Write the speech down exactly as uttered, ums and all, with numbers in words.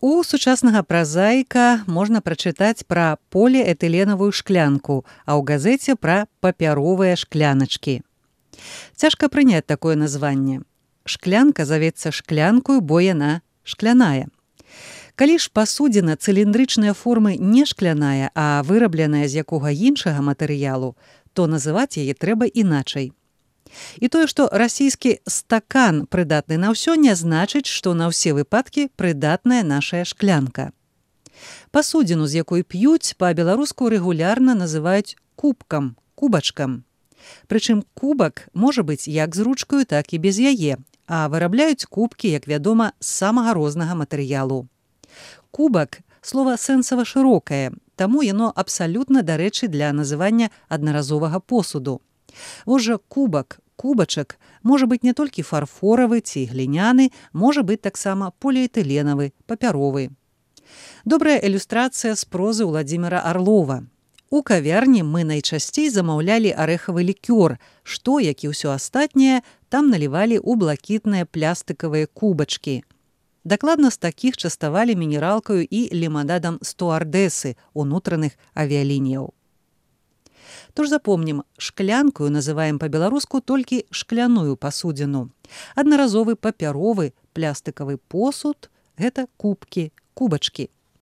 У сучаснага празаіка можна прачытаць пра поліэтыленавую шклянку, а ў газеце пра папяровыя шкляначкі. Цяжка прыняць такое названне. Шклянка завецца шклянкою, бо яна шкляная. Калі ж пасудзіна цыліндрычнай формы не шкляная, а вырабленая з якога іншага матэрыялу, то называць яе трэба іначай. І тое, што расійскі стакан прыдатны на ўсё, не значыць, што на ўсе выпадкі прыдатная нашая шклянка. Пасудзіну, з якой п'юць, па-беларуску рэгулярна называюць кубкам, кубачкам. Прычым кубак можа быць як з ручкаю, так і без яе, а вырабляюць кубкі, як вядома, з самага рознага матэрыялу. Кубак – слова сэнсава шырокае, таму яно абсалютна дарэчы для называння аднаразовага посуду. Вось жа кубак, кубачак можа быць не толькі фарфоравы ці гліняны, можа быць таксама поліэтыленавы, папяровы. Добрая ілюстрацыя з прозы Уладзіміра Арлова. У кавярні мы найчасцей замаўлялі арэхавы лікёр, што, як і ўсё астатняе, там налівалі ў блакітныя плястыкавыя кубачкі. Дакладна з такіх частавалі мінералкаю і ліманадам стуардэсы унутраных авіялініяў. Тож запомнім, шклянкою называем па-беларуску толькі шкляную пасудзіну. Аднаразовы папяровы плястыкавы посуд – гэта кубкі, кубачкі.